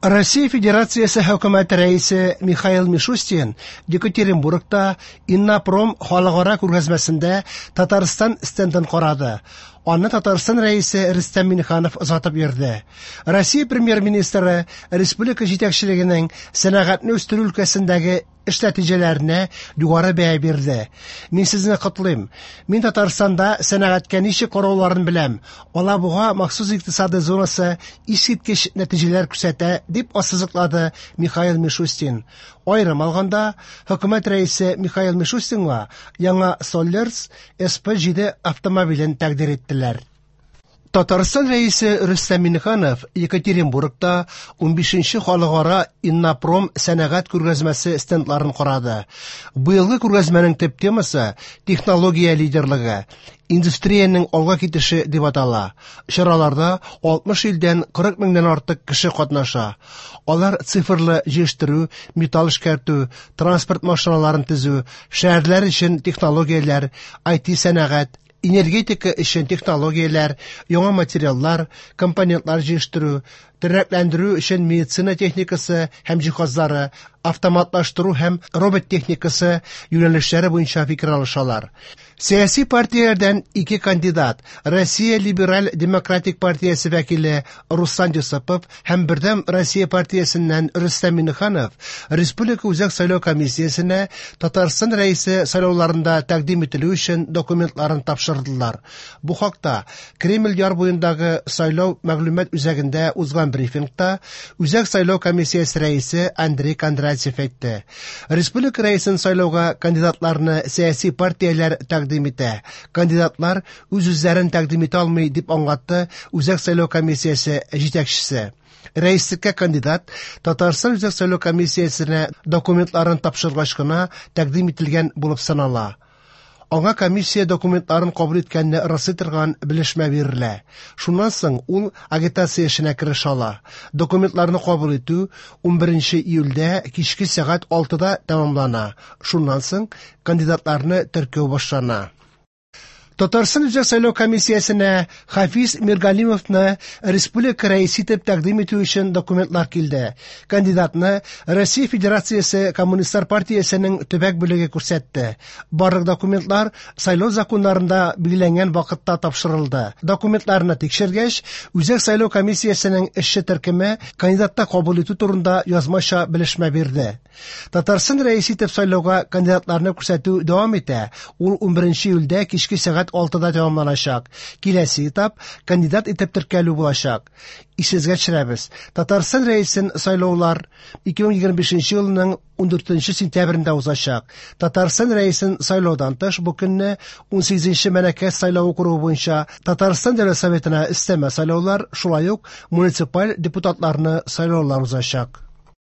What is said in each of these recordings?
Россия Федерациясе Хөкүмәте Рәисе Михаил Мишустин Екатеринбургта Иннопром халыкара күргәзмәсендә Татарстан стендын карады. Аны Татарстан Рәисе Рөстәм Миңнеханов озатып йөрде. Россия Премьер-министры республика җитәкчелегенең сәнәгатьне үстерү өлкәсендәге эш нәтиҗәләренә югары бәя бирде. Мин сезне котлыйм. Мин Татарстанда сәнәгатькә ничек карауларын беләм. Алабуга махсус икътисадый зонасы искиткеч нәтиҗәләр күрсәтә, дип ассызыклады Михаил Мишустин. Аерым алганда, хөкүмәт рәисе Михаил Мишустинга яңа Соллерс СП-7 автомобилен тәкъдир иттеләр. Татарстан Рәисе Рөстәм Миңнеханов Екатеринбургта 15нче халыкара Иннопром сәнәгать күргәзмәсе стендларын карады. Быелгы күргәзмәнең төп темасы технология лидерлыгы, индустриянең алга китеше дип атала. Чараларда 60 илдән 40 меңнән артык кеше катнаша. Алар цифрлы җыештыру, металл эшкәртү, транспорт машиналарын төзү, шәһәрләр өчен технологияләр, IT сәнәгать, энергетика өчен технологияләр, яңа материаллар, компонентлар җыештыру, тернәкләндерү өчен медицина техникасы һәм җиһазлары, автоматлаштыру һәм робот техникасы юнәлешләре буенча фикер алышалар. Сәяси партияләрдән ике кандидат, Россия Либераль Демократик партиясе вәкиле Руслан Йосыпов һәм Бердәм Россия партиясеннән Рөстәм Миңнеханов Республика Үзәк сайлау комиссиясенә Татарстан Рәисе сайлауларында тәкъдим ителү өчен документларын тапшырдылар. Бу хакта Кремль яр буендагы сайлау мәгълүмат үзәгендә узган брифингта Үзәк сайлау комиссиясе рәисе Андрей Кондратьев әйтте. Республика рәисен сайлауга кандидатларны сәяси партияләр тәкъдим итә. Кандидатлар үз-үзләрен тәкъдим итә алмый, дип аңлатты Үзәк сайлау комиссиясе җитәкчесе. Рәислеккә кандидат Татарстан Үзәк сайлау комиссиясенә документларын тапшыргач кына тәкъдим ителгән булып санала. Аңа комиссия документларын кабул иткәнне раслый торган белешмә бирелә. Шуннан соң ул агитация эшенә керешә ала. Документларны кабул итү 11 июльдә кичке сәгать 6-да тәмамлана. Шуннан соң кандидатларны теркәү башлана. Татарстан Үзәк сайлау комиссиясенә Хафиз Миргалимовны республика рәисе итеп тәкъдим итү өчен документлар килде. Кандидатны Россия Федерациясе Коммунистлар партиясенең төбәк бүлеге күрсәтте. Барлык документлар сайлау законнарында билгеләнгән вакытта тапшырылды. Документларны тикшергәч, Үзәк сайлау комиссиясенең эшче төркеме кандидатта кабул итү турында язмача белешмә бирде. Татарстан рәисе итеп сайлауга кандидатларны күрсәтү дәвам итә. Ул 11 июльдә кичке сәгать 6-да тәмамланачак. Киләсе этап кандидат итеп теркәлү булачак. Исегезгә төшерәбез. Татарстан рәисен сайлаулар 2025 елның 14 сентябрендә узачак. Татарстан рәисен сайлаудан тыш бу көнне 18 Мәләкәс сайлау округы буенча Татарстан Дәүләт Советына өстәмә сайлаулар, шулай ук муниципаль депутатларны сайлаулар узачак.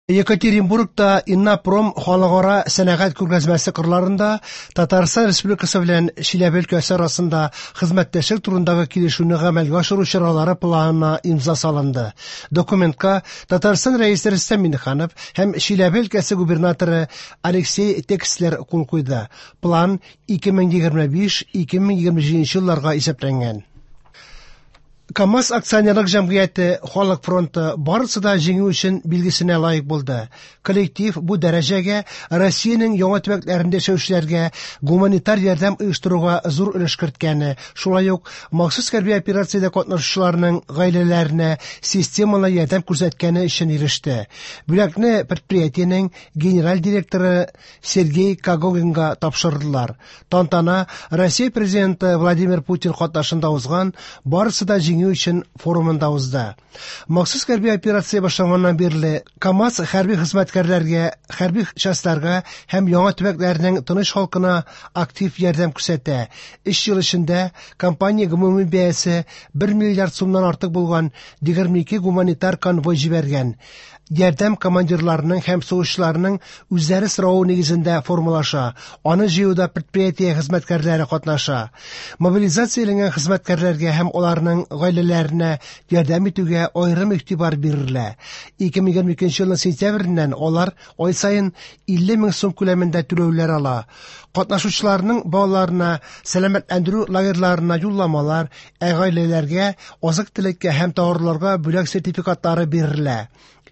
Екатеринбургта Иннопром халыкара сәнәгать күргәзмәсе кырларында Татарстан Республикасы белән Чиләбе өлкәсе арасында хезмәттәшлек турындагы килешүне гамәлгә ашыру чаралары планына имза салынды. Документка Татарстан Рәисе Рөстәм Миңнеханов һәм Чиләбе өлкәсе губернаторы Алексей Текслер кул куйды. План 2025-2027 елларга исәпләнгән. КАМАЗ акционерлык җәмгыяте Халык фронты барысы да җиңү өчен билгесенә лаек булды. Коллектив бу дәрәҗәгә Россиянең яңа төбәкләрендә яшәүчеләргә гуманитар ярдәм оештыруга зур өлеш керткәне, шулай ук махсус хәрби операциядә катнашучыларның гаиләләренә системалы ярдәм күрсәткәне өчен иреште. Бүләкне предприятиенең генераль директоры Сергей Когогинга тапшырдылар. Тантана Россия президенты Владимир Путин катнашында узган Барысы да җиңү өчен форумында узды. Махсус хәрби операция башланганнан бирле КАМАЗ хәрби хезмәткәрләргә, хәрби частьларга һәм яңа төбәкләрнең тыныч халкына актив ярдәм күрсәтә. Өч ел эчендә компания гомуми бәясе 1 миллиард сумнан артык булган 22 гуманитар конвой җибәргән. Ярдәм командирларының һәм сугышчыларының үзләре соравы нигезендә формалаша. Аны җыюда предприятие хезмәткәрләре катнаша. Мобилизацияләнгән хезмәткәрләргә һәм аларның гаиләләренә ярдәм итүгә аерым игътибар бирелә. 2022 елның сентябреннән алар ай саен 50 мең сум күләмендә түләүләр ала. Катнашучыларның балаларына сәламәтләндерү лагерьларына юлламалар, ә гаиләләргә азык-төлеккә һәм товарларга бүләк сертификатлары бирелә.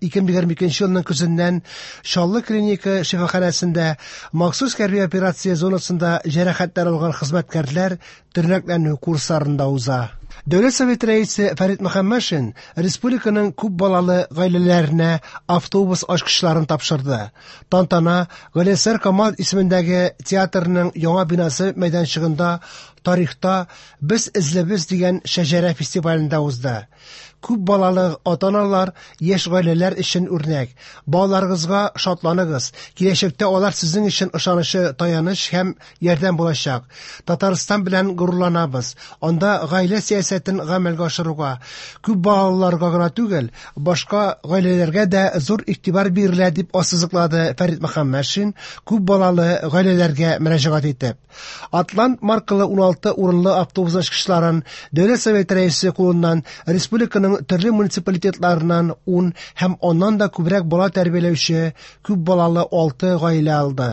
2022 елның көзеннән Чаллы клиника шифаханәсендә махсус хәрби операция зонасында җәрәхәтләр алган хезмәткәрләр тернәкләнү курсларында уза. Дәүләт Советы рәисе Фәрит Мөхәммәтшин республиканың күп балалы гаиләләренә автобус ачкычларын тапшырды. Тантана Галиәсгар Камал исемендәге театрның яңа бинасы мәйданчыгында Тарихта без эзлебез дигән шәҗәрә фестивалендә узды. Күп балалы ата-аналар яшь гаиләләр өчен үрнәк. Балаларыгызга шатланыгыз. Киләчәктә алар сезнең өчен ышанычлы таяныч һәм ярдәм булачак. Татарстан белән горурланабыз. Анда гаилә сәясәтен гамәлгә ашыруга, күп балалыларга гына түгел, башка гаиләләргә дә зур игътибар бирелә, дип ассызыклады Фәрит Мөхәммәтшин, күп балалы гаиләләргә мөрәҗәгать итеп. Атлант маркалы 16 урынлы автобус ачкычларын Дәүләт Советы Рәисе кулыннан республиканың төрле муниципалитетларыннан 10 һәм аннан да күбрәк бала тәрбияләүче күп балалы 6 гаилә алды.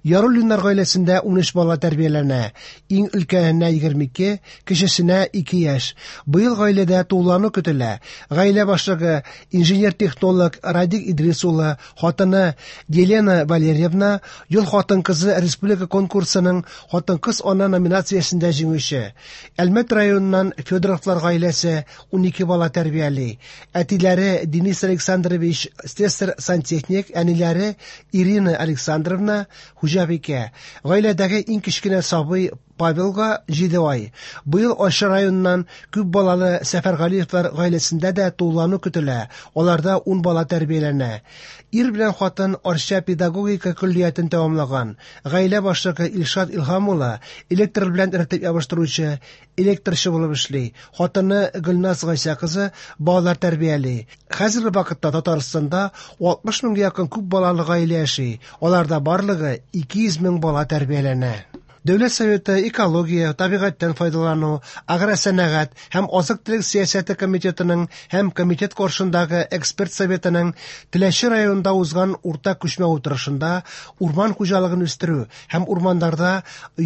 Яруллиннар гаиләсендә 13 бала тәрбияләнә. Иң өлкәненә 22, кечесенә 2 яшь. Быел гаиләдә тулылану көтелә. Гаилә башлыгы инженер-технолог Радик Идрис улы, хатыны Елена Валерьевна Ел хатын-кызы республика конкурсының Хатын-кыз ана номинациясендә җиңүче. Әлмәт районыннан Федоровлар гаиләсе 12 бала тәрбияли. Әтиләре Денис Александрович слесарь-сантехник, әниләре Ирина Александровна хуҗабикә. Гаиләдәге иң кечкенә сабый Павелга 7 ай. Быел Арча районыннан күп балалы Сәфәргалиевлар гаиләсендә дә тулылану көтелә, аларда ун бала тәрбияләнә. Ир белән хатын Арча педагогика көллиятен тәмамлаган. Гаилә башлыгы Илшат Илһам улы электр белән рәтләп ябыштыручы, электрчы булып эшли. Хатыны Гөлназ Гайсә кызы балалар тәрбияли. Хәзерге вакытта Татарстанда 60 меңгә якын күп балалы гаилә яши, аларда барлыгы 200 мең бала тәрбияләнә. Дәүләт Советы экология, табигатьтән файдалану, агросәнәгать һәм азык-төлек сәясәте комитетының һәм комитет каршындагы эксперт советының Теләче районында узган уртак күчмә утырышында урман хуҗалыгын үстерү һәм урманнарда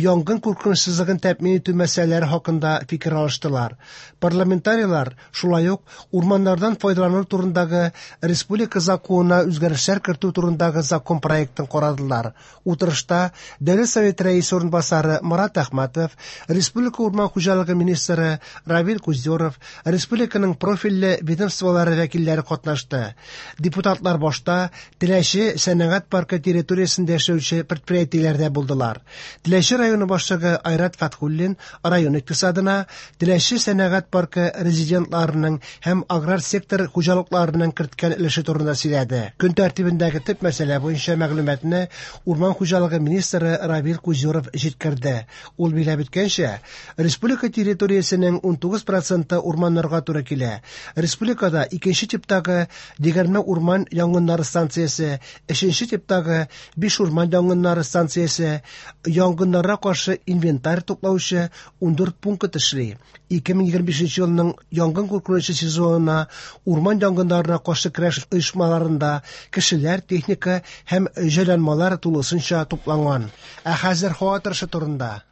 янгын куркынычсызлыгын тәэмин итү мәсьәләләре хакында фикер алыштылар. Парламентарийлар шулай ук урманнардан файдалану турындагы республика законына үзгәрешләр кертү турындагы закон проектын карадылар. Утырышта Дәүләт Советы Рәисе урынбасары Марат Әхмәтов, республика урман хуҗалыгы министры Равил Куздеров, республиканың профильле ведомстволары вәкилләре катнашты. Депутатлар башта Теләче сәнәгать паркы территориясендә эшләүче предприятиеләрдә булдылар. Теләче районы башлыгы Айрат Фәтхуллин район икътисадына Теләче сәнәгать паркы резидентларының һәм аграр сектор хуҗалыкларының керткән өлеше турында сөйләде. Көн тәртибендәге төп мәсьәлә буенча мәгълүматны урман хуҗалыгы министры Равил Кузюров җиткерде. Ул билгеләп үткәнчә, республика территориясенең 19 проценты урманнарга туры килә. Республикада икенче типтагы 20 урман янгыннары станциясе, өченче типтагы 5 урман янгыннары станциясе, янгыннарга каршы инвентарь туплаучы 14 пункт эшли. 2025 елның янгын куркынычы сезонына урман янгыннарына каршы көрәш оешмаларында кешеләр, техника һәм җайланмалар тулысынча тупланган. Ә хәзер һава торышы турында.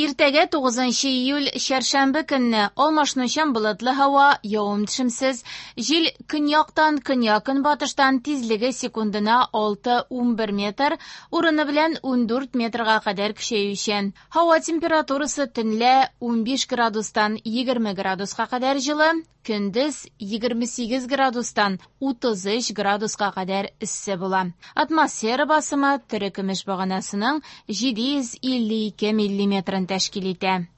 Иртәгә 9 июль чәршәмбе көнне алмашынучан болытлы һава, явым-төшемсез, җил көньяктан көньяк-көнбатыштан тизлеге секундына 6-11 метр, урыны белән 14 метрга кадәр көчәючән. Һава температурасы төнлә 15 градустан 20 градуска кадәр җылы, көндез 28 градустан 33 градуска кадәр эссе була. Атмосфера басымы терекөмеш баганасының 752 миллиметрын тәшкил итә.